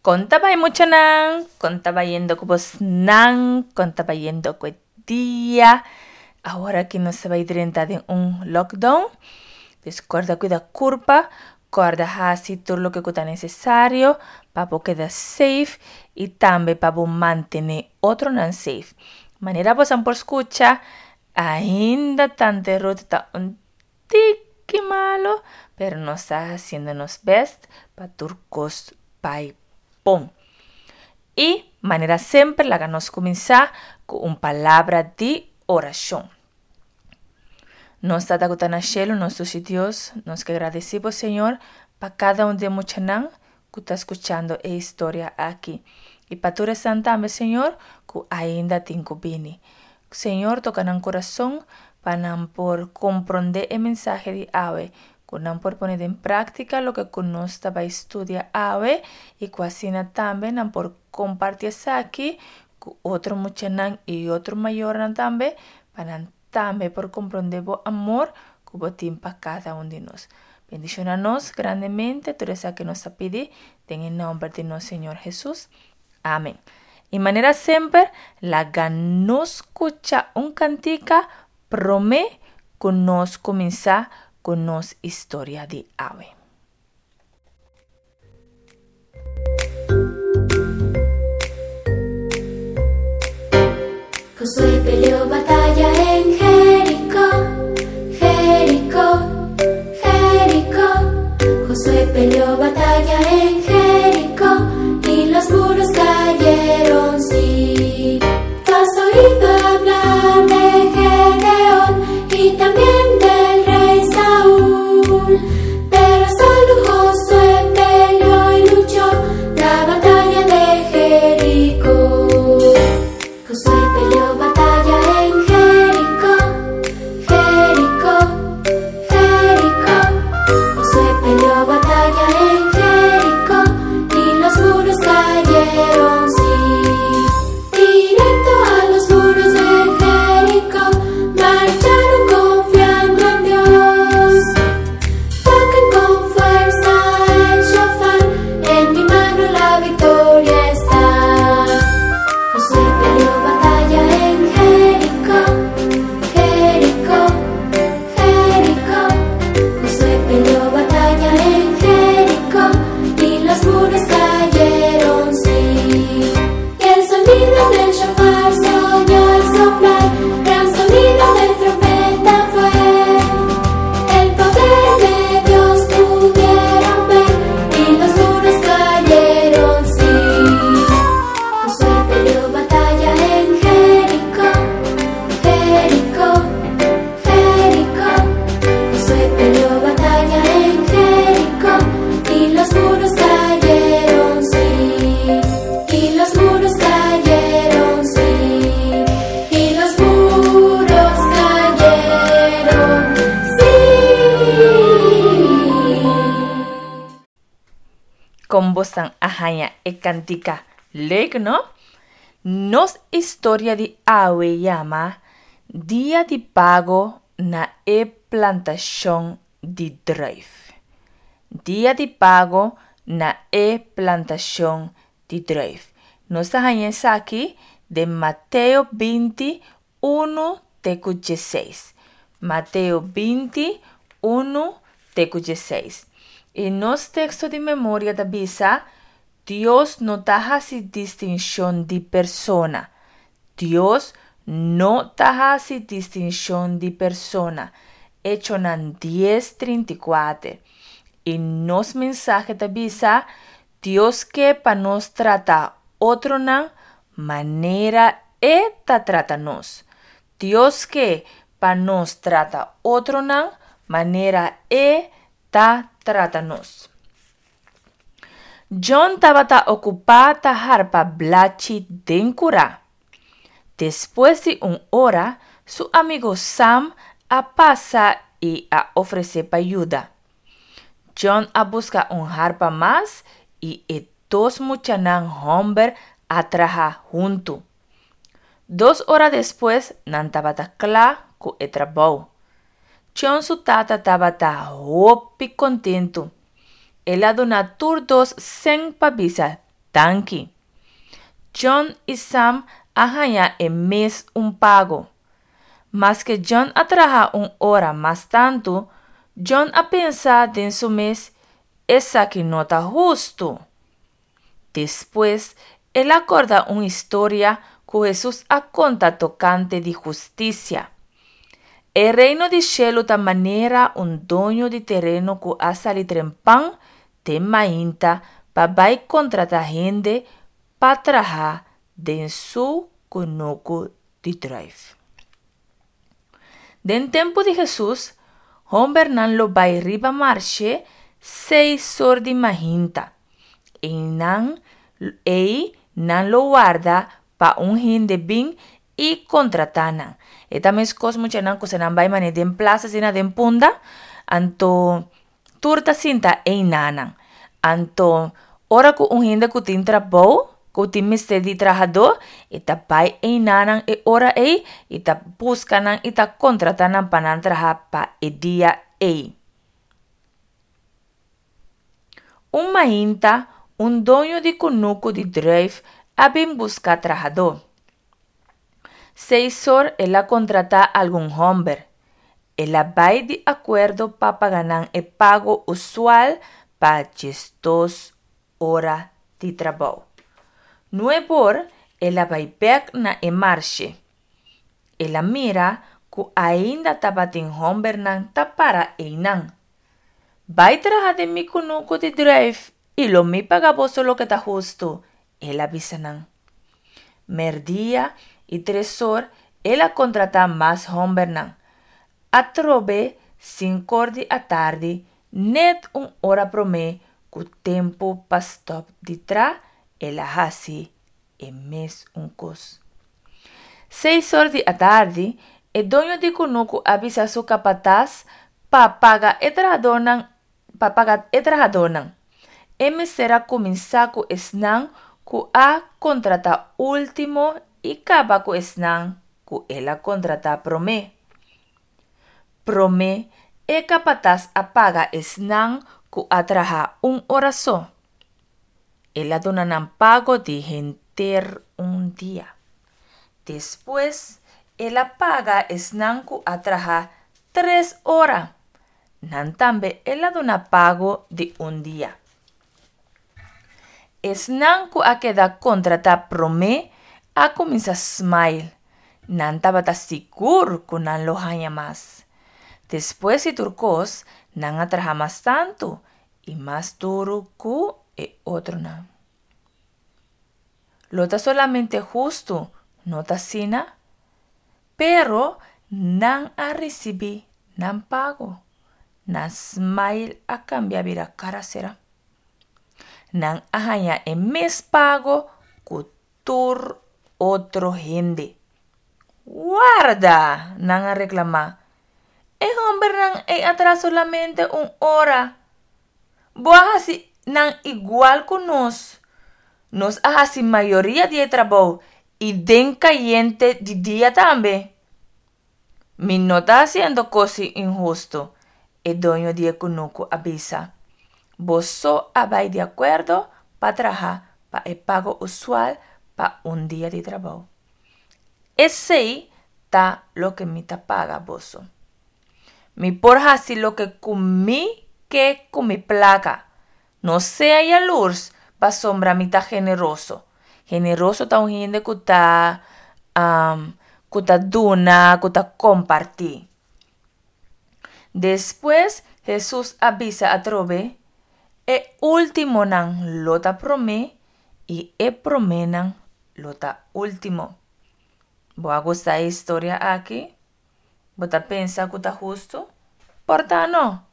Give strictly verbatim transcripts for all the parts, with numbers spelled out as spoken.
Kon ta bai muchanan, kon ta bayendo ku bosnan, kon ta bayendo ku e dia. Awor aki nos ta bai drenta den un lockdown. Dus kòrda kuida kurpa, kòrda hasi tur loke ku ta nesesario pa bo keda safe i tambe pa bo mantené otronan safe. Manera bosan por skucha, ainda Tante Ruth ta un tiki malo, pero nos ta hasiendo nos best pa tur kos bai bon. I manera semper laga nos kuminsá ku un palabra di orashon. Nos Tata ku ta na shelu, nos dushi Dios, nos ke gradisí bo Señor pa kada un di e muchanan ku ta skuchando e historia aki. I pa tur esnan tambe Señor ku ainda tin ku bini. Señor toka nan kurason pa nan por komprondé e mensahe di awe, ku nan por pone den práktika loke ku nos ta bai studia awe i ku asina tambe nan por kompartí esaki ku otro muchanan i otro mayornan tambe pa nan tambe por komprondé bo amor ku bo tin pa kada un di nos. Bendishoná nos grandemente tur esaki nos ta pidi den e nòmber di nos Señor Hesus. Amen. I manera semper, laga nos skucha un kantika promé ku nos kuminsá ku nos historia di awe. Josué peleó batalla en Jericó, Jericó, Jericó. Josué peleó batalla en Jericó y los muros cayeron, sí. Tú has oído hablar de Gedeón y también del rey Saúl, pero solo Josué peleó y luchó la batalla de Jericó. Josué peleó batalla en Jericó, Jericó, Jericó. Josué peleó batalla en Jericó y los muros cayeron, sí. Directo a los muros de Jericó marcharon confiando en Dios. Toquen con fuerza el shofar, en mi mano la victoria está. Josué peleó batalla en Jericó, Jericó, Jericó. Josué peleó batalla en Jericó y los muros cayeron, sí. Y el sonido del shofar se oyó al soplar, gran sonido de trompeta fue. El poder de Dios pudieron ver y los muros cayeron, sí. Josué peleó batalla en Jericó, Jericó, Jericó. Josué peleó batalla en Jericó y los muros cayeron, sí. Y los muros cayeron, sí. Y los muros cayeron, sí. Kon bosan a haña e kantika leuk, no? Nos historia di awe yama Dia di Pago na e Plantashon di Druif. Dia di Pago na e Plantashon di Druif. Nos ta haña esaki den Mateo binti, unu te ku diesseis. Mateo binti, unu te ku diesseis. I nos teksto di memoria ta bisa, Dios no ta hasi distinshon di persona. Dios no ta hasi distinshon di persona. Echonan dies trinta i kuater. I nos mensahe ta bisa, Dios ke pa nos trata otronan manera E ta trata nos. Dios ke pa nos trata otronan manera E ta trata nos. John tabata okupá ta harpa blachi den kurá. Despues di un ora, su amigo Sam a pasa i a ofresé pa yuda. John a buska un harpa mas i e dos muchanan hòmber a traha huntu. Dos ora despues nan tabata kla ku e trabou. John su tata tabata hopi kontentu. El a duna tur dos sèn pa bisa Danki. John i Sam a haña e mes un pago. Maske John a traha un ora mas tantu, John a pensa den su mes, Esaki no ta hustu. Despues el a kòrda un historia ku Hesus a konta tokante di hustisia. E reino di shelu ta manera un doño di tereno ku a sali trempan den mainta pa bai kontratá hende pa traha den su kunuku di drùif. Den tempu di Hesus, hòmbernan lo bai riba marshe seis or di mainta. Einan ei nan lo warda pa un hende bin i kontratá nan. E ta meskos muchanan ku si nan bai manera den plasa asina den Punda, anto tur ta sinta einanan. Anto ora ku un hende ku tin trabou, ku tin mester di trahadó, e ta bai einanan e ora ei i ta buska nan i ta kontratá nan pa nan traha pa e dia ei. Un mainta un doño di kunuku di drùif a bin buska trahadó. Seis or el a kontratá algun hòmber. El a bai di akuerdo pa paga nan e pago usual pa diesdos ora di trabou. Nueb'or el a bai bèk na e marshe. El a mira ku ainda tabatin hòmbernan ta para einan. Bai traha den mi kunuku di drùif i lo mi paga boso loke ta hustu, el a bisa nan. Mèrdia i tres or el a kontratá mas hòmbernan. Atrobe sink'or di atardi, nèt un ora promé ku tempu pa stòp di tra, el a hasi e mes un kos. Seis or di atardi, e doño di kunuku a bisa su kapatas pa paga e trahadónan pa paga e trahadónan. E mester a kuminsá ku esnan ku a kontratá último i kaba ku esnan ku el a kontratá promé. Promé, e kapatas a paga esnan ku a traha un ora so. El a duna nan pago di henter un dia. Despues, el a paga esnan ku a traha tres ora. Nan tambe el a duna pago di un dia. Esnan ku a keda kontratá promé a kuminsá smail. Nan tabata sigur ku nan lo haña mas. Despues di tur kos, nan a traha mas tantu i mas duru ku e otronan. Lo ta solamente hustu, no ta asina? Pero nan a risibí nan pago. Nan smail a kambia bira kara sera. Nan a haña e mes pago ku tur otro hende. Warda! Nan a reklamá. E hòmbernan ei a traha solamente un ora. Bo a hasi nan igual ku nos. Nos a hasi mayoria di e trabou i den kayente di dia tambe. Mi no ta hasiendo kos inhustu, e doño di e kunuku a bisa. Boso a bai di akuerdo pa traha pa e pago usual pa un dia di trabou. Esei ta loke mi ta paga boso. Mi por hasi loke ku mi ke ku mi plaka. No sea yalurs pasobra mi ta generoso. Generoso ta un hende ku ta ku ta duna, ku ta kompartí. Despues Hesus a bisa atrobe, E últimonan lo ta promé i e proménan lo ta último. Bo a gusta e historia aki? Bo ta pensa ku ta hustu? Por ta no.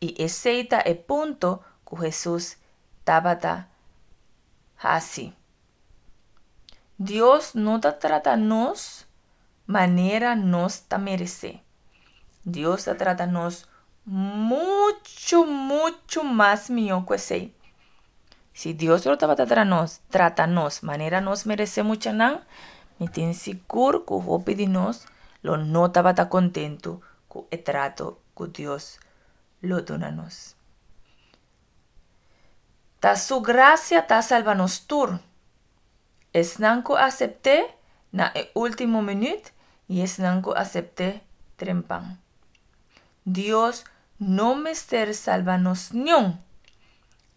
I esei ta e punto ku Hesus tabata hasi. Dios no ta trata nos manera nos ta meresé. Dios ta trata nos muchu, muchu mas mihó ku esei. Si Dios lo tabata tra nos, trata nos manera nos meresé muchanan, mi tin sigur ku hopi di nos lo no tabata kontentu ku e trato ku Dios lo duna nos. Ta su grasia ta salba nos tur. Esnan ku asept'é na e último minüt i esnan ku asept'é trempan. Dios no mester salba nos niun.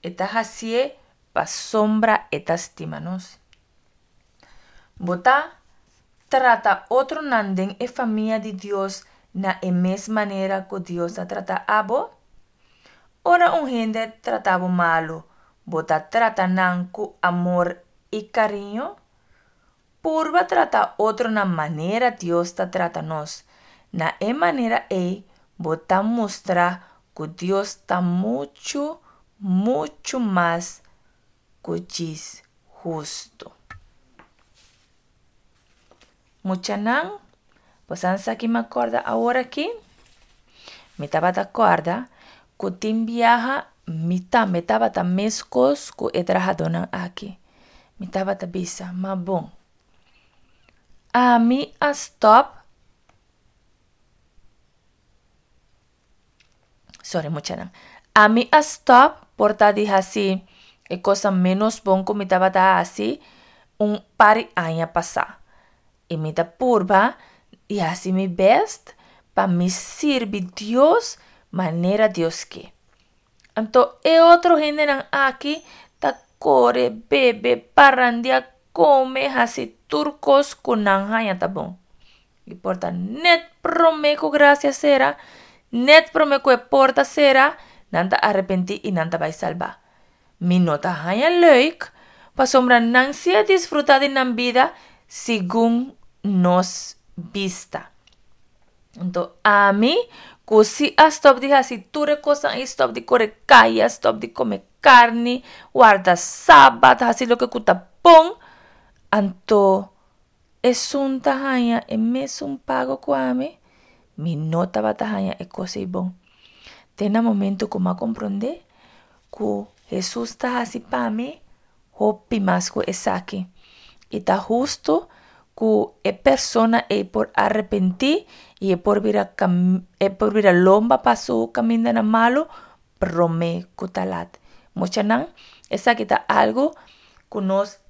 E ta hasié pasobra e ta stima nos. Bo ta trata otronan den e famia di Dios na e mes manera ku Dios ta trata abo? Ora un hende trata bo malu, bo ta trata nan ku amor i kariño? Purba trata otronan manera Dios ta trata nos. Na e manera ei bo ta mustra ku Dios ta muchu, muchu mas ku djis hustu. Muchanan, boso sa ki mi a kòrda awor aki? Mi tabata kòrda ku tin biaha mi tambe tabata meskos ku e trahadónan aki. Mi tabata bisa, ma bon, ami a stòp, sorry muchanan, ami a stòp por ta di hasi e kosnan ménos bon ku mi tabata hasi un par di aña pasá. I mi ta purba i hasi mi bèst pa mi sirbi Dios manera Dios ke. Anto e otro hendenan aki ta kore, bebe, parandia, kome, hasi tur kos ku nan haña ta bon. I por ta nèt promé ku grasia sera, nèt promé ku e porta sera, nan ta arepentí i nan ta bai salbá. Mi no ta haña leuk, pasobra nan si a disfrutá di nan bida segun nos bista. Anto ami ku si a stòp di hasi tur e kosnan ei, stòp di kore kaya, stòp di kome karni, warda sabat, hasi loke ku ta bon, anto esun ta haña e mesun pago ku ami? Mi no tabata haña e kos ei bon. Te na momento ku mi a komprondé ku Hesus ta hasi pa mi hopi mas ku esaki. I ta hustu ku e persona ei por arepentí i e por bira e por bira lomba pa su kamindanan malu promé ku ta lat. Muchanan, esaki ta algu ku nos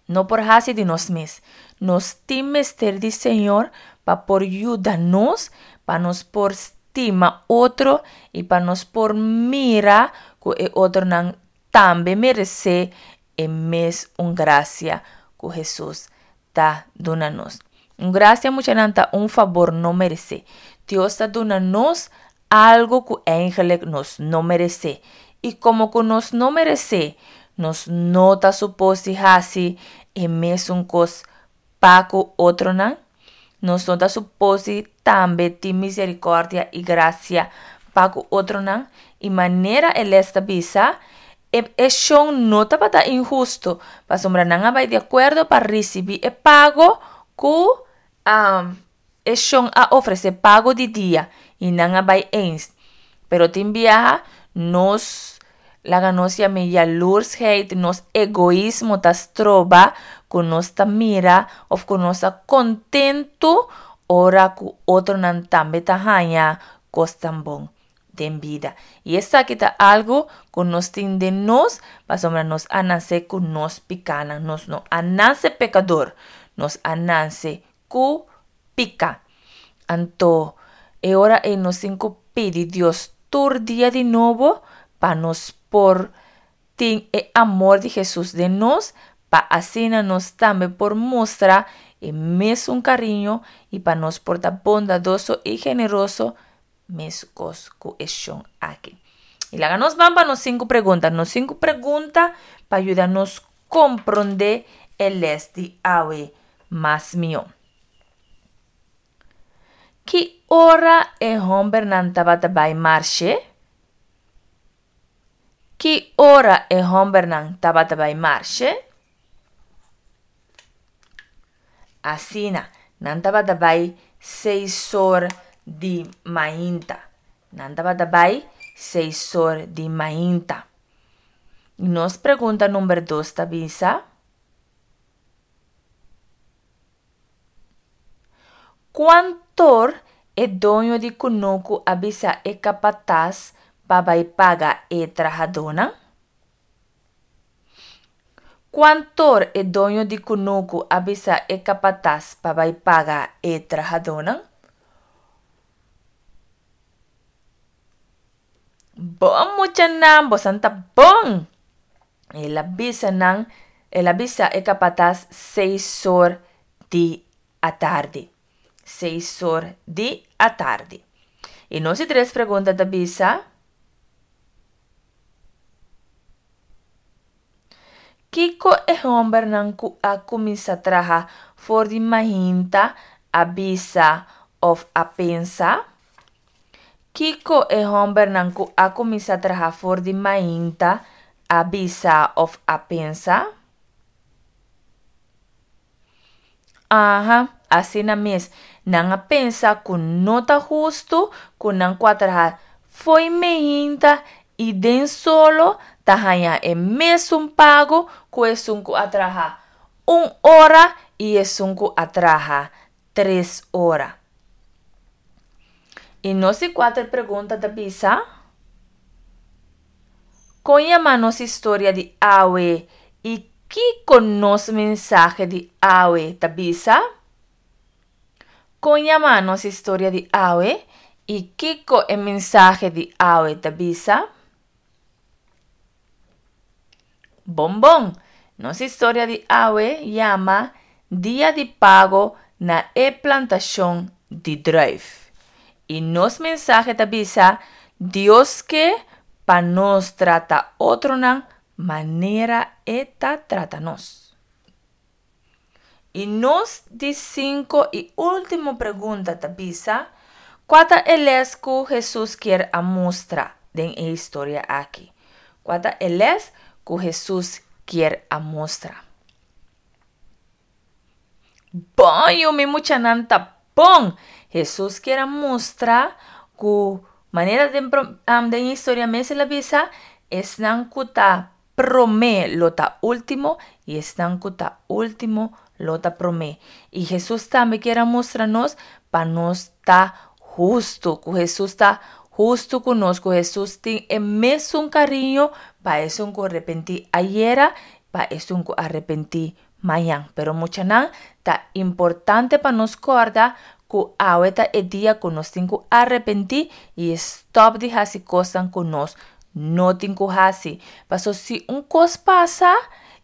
no por hasi di nos mes. Nos tin mester di Señor pa por yuda nos, pa nos por stima otro i pa nos por mira ku e otronan tambe meresé e mes un grasia ku Hesus ta duna nos. Un grasia muchanan ta un fabor no meresé. Dios ta duna nos algu ku eigenlijk nos no meresé. I komo ku nos no meresé, nos no ta supos di hasi e mesun kos pa ku otronan? Nos no ta supos di tambe tin miserikòrdia i grasia pa ku otronan? I manera e lès ta bisa, e e shon no tabata inhusto, pasobra nan a bai di akuerdo pa risibí e pago ku e shon a ofresé, pago di dia, i nan a bai eens. Pero tin biaha nos laga nos yam'é yalursheid, nos egoismo ta stroba ku nos ta mira òf ku nos ta kontentu ora ku otronan tambe ta haña kos tan bon den bida. I esaki ta algu ku nos tin den nos pasobra nos a nase ku nos pikánan. Nos no a nase pekador, nos a nase ku piká. Anto e ora ei nos tin ku pidi Dios tur dia di nobo pa nos por tin e amor di Hesus den nos, pa asina nos tambe por mustra e mesun kariño i pa nos por ta bondadoso i generoso meskos ku e shon aki. I laga nos ban pa nos sinku pregunta. Nos sinku pregunta pa yuda nos komprondé e lès di awe mas mihó. Ki ora e hòmbernan tabata bai marshe? Ki ora e hòmbernan tabata bai marshe? Asina, nan tabata bai seis or di mainta. Nan tabata bai seis or di mainta. I nos pregunta number dos ta bisa, Kuantor e doño di kunuku a bisa e kapatas pa bai paga e trahadónan? Kuant'or e doño di kunuku a bisa e kapatas pa bai paga e trahadónan? Bon muchanan, bosan ta bon! El a bisa nan, el a bisa e kapatas seis or di atardi. Seis or di atardi. I nos di tres pregunta ta bisa, Kiko e hòmbernan ku a kuminsá traha for di mainta a bisa òf a pensa? Kiko e hòmbernan ku a kuminsá traha for di mainta a bisa òf a pensa? Aha, asina mes. Nan a pensa ku no ta hustu ku nan ku a traha fo'i meinta i den solo ta haña e mesun pago ku esun ku a traha un ora i esun ku a traha tres ora. I nos di kuater pregunta ta bisa, Kon yama nos historia di awe i kiko nos mensahe di awe ta bisa? Kon yama nos historia di awe i kiko e mensahe di awe ta bisa? Bon bon! Nos historia di awe yama Dia di Pago na e Plantashon di Druif. I nos mensahe ta bisa, Dios ke pa nos trata otronan manera e ta trata nos. I nos di sinku i último pregunta ta bisa, Kua ta e lès ku Hesus kier a mustra den e historia aki? Kua ta e lès ku Hesus kier a mustra? Bon yu, mi muchanan ta bon! Hesus kier a mustra ku manera den den historia mes el a bisa, esnan ku ta promé lo ta último i esnan ku ta último lo ta promé. I Hesus tambe kier a mustra nos pa nos ta hustu, ku Hesus ta hustu ku nos, ku Hesus tin e mesun kariño pa esun ku arepentí ayera, pa esun ku arepentí mañan. Pero muchanan, ta importante pa nos kòrda ku awe ta e dia ku nos tin ku arepentí i stòp di hasi kosnan ku nos no tin ku hasi. Paso si un kos pasa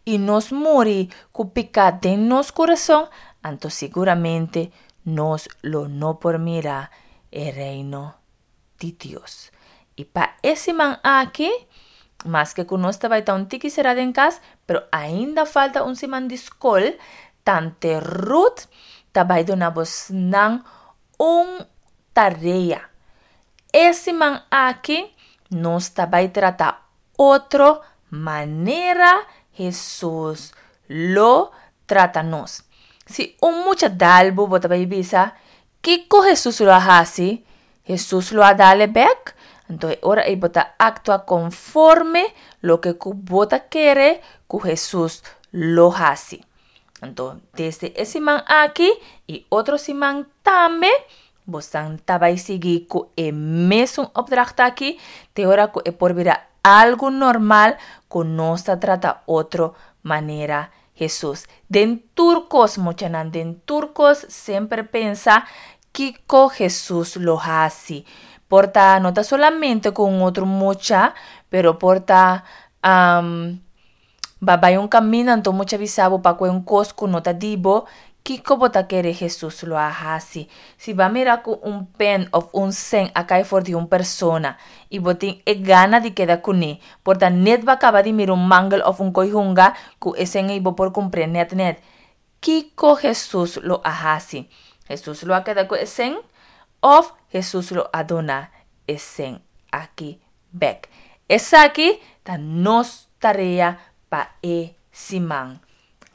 i nos muri ku piká den nos kurason, anto siguramente nos lo no por mira e Reino di Dios. I pa e siman aki, maske ku nos ta bai ta un tiki será den kas, pero ainda falta un siman di skol, Tante Ruth ta bai duna bosnan un tarea. E siman aki nos ta bai trata otro manera Hesus lo trata nos. Si un mucha dal bo, bo ta bai bisa, Kiko Hesus lo a hasi? Hesus lo a dal e bek? Anto e ora ei bo ta aktua konforme loke ku bo ta kere ku Hesus lo hasi. Anto desde e siman aki i otro siman tambe bosan ta bai sigui ku e mesun opdracht aki te ora ku e por bira algu normal ku nos ta trata otro manera Hesus. Den tur kos muchanan, den tur kos semper pensa kiko Hesus lo hasi. Por ta no ta solamente ku un otro mucha, pero por ta Ba bai un kaminda anto mucha bisa bo pa kue un kos ku no ta di bo, kiko bo ta kere Hesus lo a hasi? Si bo a mira ku un pen òf un sèn a kai for di un persona i bo tin e gana di keda kuné, por ta nèt bo a kaba di mira un mangel òf un koi hunga ku e sèn ei bo por kumpr'é nèt nèt. Kiko Hesus lo a hasi? Hesus lo a keda ku e sèn òf Hesus lo a duna e sèn aki bèk? Esaki ta nos tarea pa e siman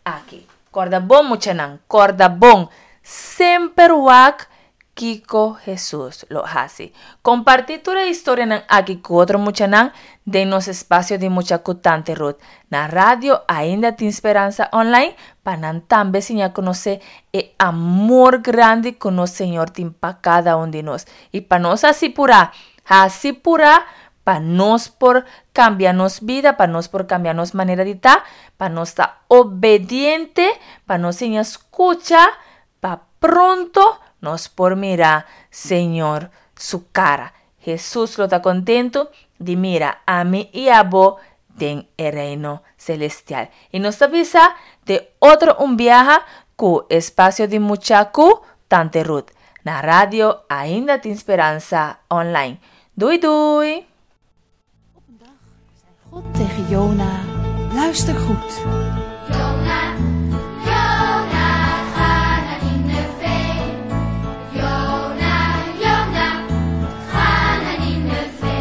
aki. Kòrda bon muchanan, kòrda bon! Semper wak kiko Hesus lo hasi. Kompartí tur e historianan aki ku otro muchanan den nos espasio di Mucha ku Tante Ruth na Radio Ainda Tin Speransa Online pa nan tambe siña konosé e amor grandi ku nos Señor tin pa kada un di nos. I pa nos hasi purá, hasi purá Pa nos por kambia nos bida, pa nos por kambia nos manera di ta, pa nos ta obediente, pa nos siña skucha, pa pronto nos por mira Señor su kara. Hesus lo ta kontentu di mira ami i abo den e reino selestial. I nos ta bisa te otro un biaha ku Espasio di Mucha ku Tante Ruth na Radio Ainda Tin Speransa Online. Doei doei! Op een dag zei God tegen Jona, luister goed. Jona, Jona, ga naar Nineve. Jona, Jona, ga naar Nineve.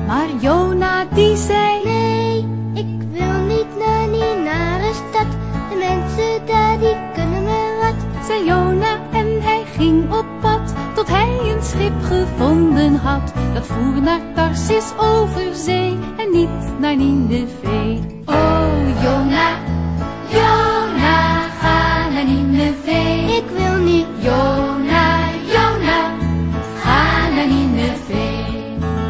Maar Jona die zei, Nee, ik wil niet naar die nare stad. De mensen daar die kunnen me wat. Zei Jona en hij ging op pad, tot hij een schip gevonden had. Dat voer naar Tarsis over zee en niet naar Nineve. Oh Jona, Jona, ga naar Nineve. Ik wil niet. Jona, Jona, ga naar Nineve.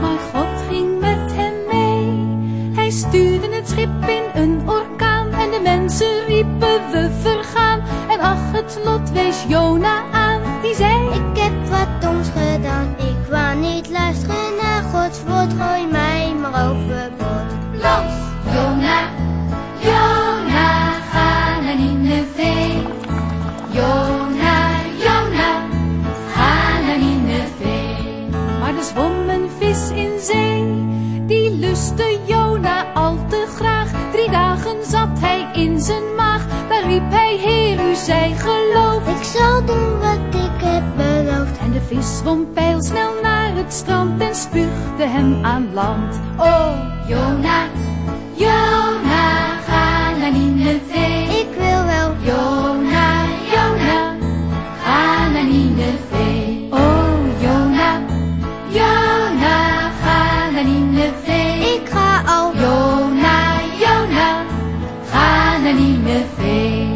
Maar God ging met hem mee. Hij stuurde het schip in een orkaan en de mensen riepen we vergaan. En ach, het lot wees Jona aan, die zei, Ik heb wat doms gedaan. Ik wou niet luisteren naar Gods woord. Gooi mij maar overboord. Los! Jona, Jona, ga naar Nineve. Jona, Jona, ga naar Nineve. Maar er zwom een vis in zee, die lustte Jona al te graag. Drie dagen zat hij in zijn maag, daar riep hij, Heer, u zij geloofd. Ik zal doen wat ik heb beloofd. En de vis zwom pijlsnel naar het strand en spuugde hem aan land. Oh, Jona, Jona, ga naar Nineve. Ik wil wel. Jona, Jona, ga naar Nineve. Oh, Jona, Jona, ga naar Nineve. Ik ga al. Jona, Jona, ga naar Nineve.